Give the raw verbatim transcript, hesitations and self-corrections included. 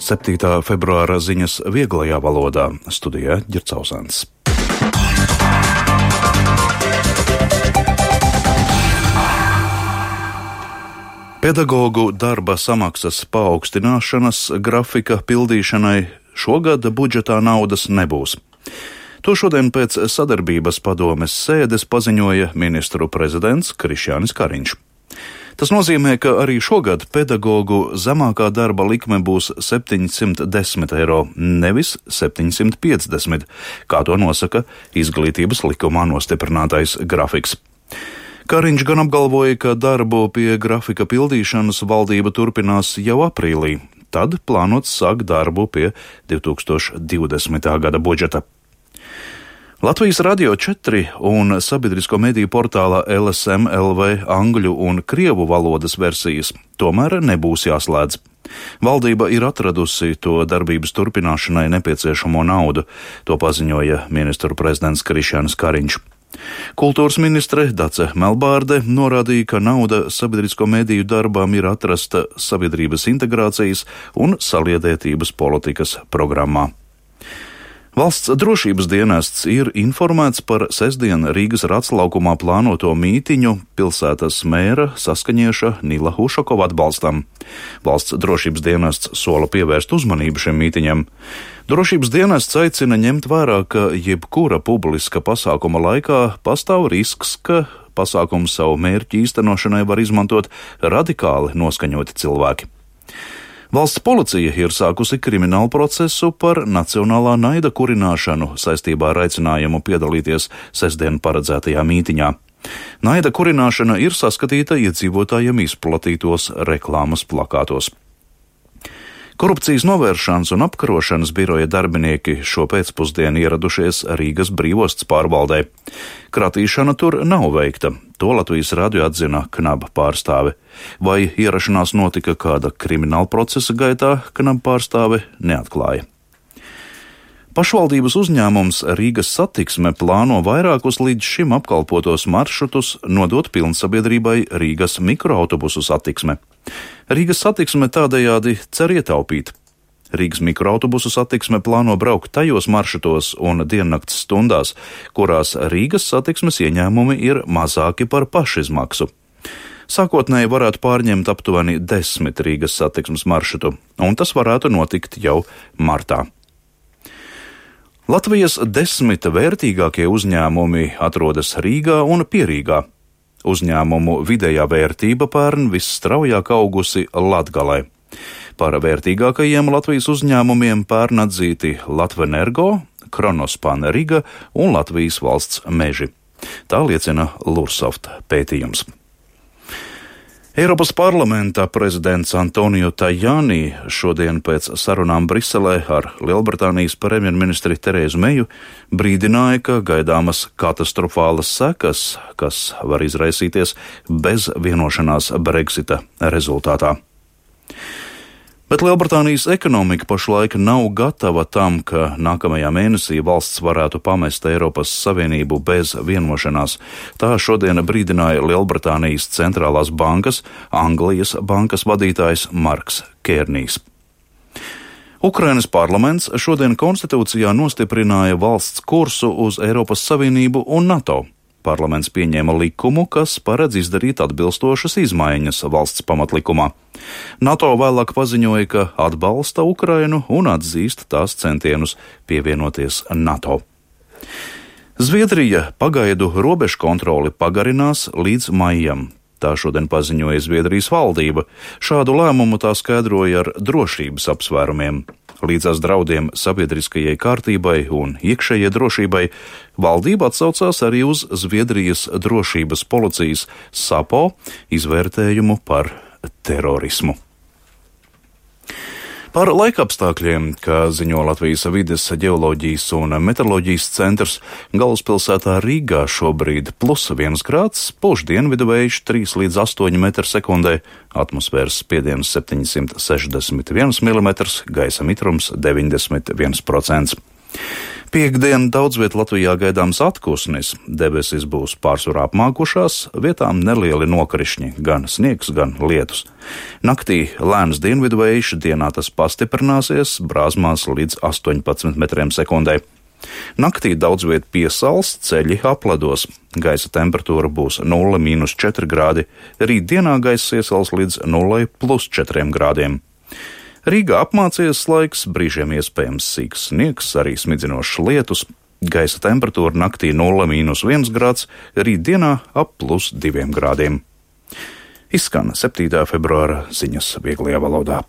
septītā februāra ziņas vieglajā valodā. Studijā Ģircausāns. Pedagogu darba samaksas paaugstināšanas grafika pildīšanai šogad budžetā naudas nebūs. To šodien pēc sadarbības padomes sēdes paziņoja ministru prezidents Krišjānis Kariņš. Tas nozīmē, ka arī šogad pedagogu zemākā darba likme būs septiņsimt desmit eiro, nevis septiņsimt piecdesmit, kā to nosaka izglītības likumā nostiprinātais grafiks. Kariņš gan apgalvoja, ka darbu pie grafika pildīšanas valdība turpinās jau aprīlī, tad plānots sākt darbu pie divi tūkstoši divdesmitā gada budžeta. Latvijas Radio četri un sabiedrisko mediju portālā L S M L V angļu un krievu valodas versijas tomēr nebūs jāslēdz. Valdība ir atradusi to darbības turpināšanai nepieciešamo naudu, to paziņoja ministru prezidents Krišjānis Kariņš. Kultūras ministre Dace Melbārde norādīja, ka nauda sabiedrisko mediju darbām ir atrasta sabiedrības integrācijas un saliedētības politikas programmā. Valsts drošības dienests ir informēts par sestdien Rīgas Raclaukumā plānoto mītiņu pilsētas mēra Saskaņieša Nila Ušakova atbalstam. Valsts drošības dienests sola pievērst uzmanību šim mītiņam. Drošības dienests aicina ņemt vērā, ka jebkura publiska pasākuma laikā pastāv risks, ka pasākumu savu mērķu īstenošanai var izmantot radikāli noskaņoti cilvēki. Valsts policija ir sākusi kriminālu procesu par nacionālā naida kurināšanu saistībā ar aicinājumu piedalīties sestdien paredzētajā mītiņā. Naida kurināšana ir saskatīta iedzīvotājiem izplatītos reklāmas plakātos. Korupcijas novēršanas un apkarošanas biroja darbinieki šo pēcpusdienu ieradušies Rīgas brīvostas pārvaldē. Kratīšana tur nav veikta, to Latvijas radio atzina Knaba pārstāve. Vai ierašanās notika kāda krimināla procesa gaitā, Knaba pārstāve neatklāja. Pašvaldības uzņēmums Rīgas Satiksme plāno vairākus līdz šim apkalpotos maršrutus nodot pilnsabiedrībai Rīgas mikroautobusu satiksme. Rīgas Satiksme tādējādi cer ietaupīt. Rīgas mikroautobusu satiksme plāno braukt tajos maršrutos un diennakts stundās, kurās Rīgas Satiksmes ieņēmumi ir mazāki par pašizmaksu. Sākotnēji varētu pārņemt aptuveni desmit Rīgas Satiksmes maršrutu, un tas varētu notikt jau martā. Latvijas desmit vērtīgākie uzņēmumi atrodas Rīgā un Pierīgā. Uzņēmumu vidējā vērtība pērn visstraujāk augusi Latgalē. Par vērtīgākajiem Latvijas uzņēmumiem pērn atzīti Latvenergo, Kronospan Riga un Latvijas valsts meži. Tā liecina Lursoft pētījums. Eiropas parlamenta prezidents Antonio Tajani šodien pēc sarunām Briselē ar Lielbritānijas premjerministri Terēzu Meju brīdināja, ka gaidāmas katastrofālas sekas, kas var izraisīties bez vienošanās Brexita rezultātā. Bet Lielbritānijas ekonomika pašlaik nav gatava tam, ka nākamajā mēnesī valsts varētu pamest Eiropas Savienību bez vienošanās. Tā šodien brīdināja Lielbritānijas centrālās bankas, Anglijas bankas vadītājs Marks Kērnijs. Ukrainas parlaments šodien konstitūcijā nostiprināja valsts kursu uz Eiropas Savienību un NATO. Parlaments pieņēma likumu, kas paredz izdarīt atbilstošas izmaiņas valsts pamatlikumā. NATO vēlāk paziņoja, ka atbalsta Ukrainu un atzīst tās centienus pievienoties NATO. Zviedrija pagaidu robežu kontroli pagarinās līdz maijam. Tā šodien paziņoja Zviedrijas valdība. Šādu lēmumu tā skaidroja ar drošības apsvērumiem. Līdzās draudiem sabiedriskajai kārtībai un iekšējai drošībai valdība atsaucās arī uz Zviedrijas drošības policijas SAPO izvērtējumu par terorismu. Par laikapstākļiem, kā ziņo Latvijas vides, ģeoloģijas un meteoroloģijas centrs, galvaspilsētā Rīgā šobrīd plus viens grāds, pūš dienvidu vējš trīs līdz astoņi metri sekundē, atmosfēras spiediens septiņsimt sešdesmit viens milimetrs, gaisa mitrums deviņdesmit viens procents. Piektdien daudz viet Latvijā gaidāms atpūsnis. Debesis būs pārsvarā apmākušās, vietām nelieli nokrišņi, gan sniegs, gan lietus. Naktī lēns dienvidu vējš, dienā tas pastiprināsies, brāzmās līdz astoņpadsmit metriem sekundē. Naktī daudz viet piesals, ceļi apledos. Gaisa temperatūra būs nulle mīnus četri grādi, rīt dienā gaisa iesals līdz nulle plus četriem grādiem. Rīgā apmācies laiks, brīžiem iespējams sīks sniegs, arī smidzinošs lietus. Gaisa temperatūra naktī nulle mīnus viens grāds, rīt dienā ap plus diviem grādiem. Izskan septītā februāra ziņas vieglajā valodā.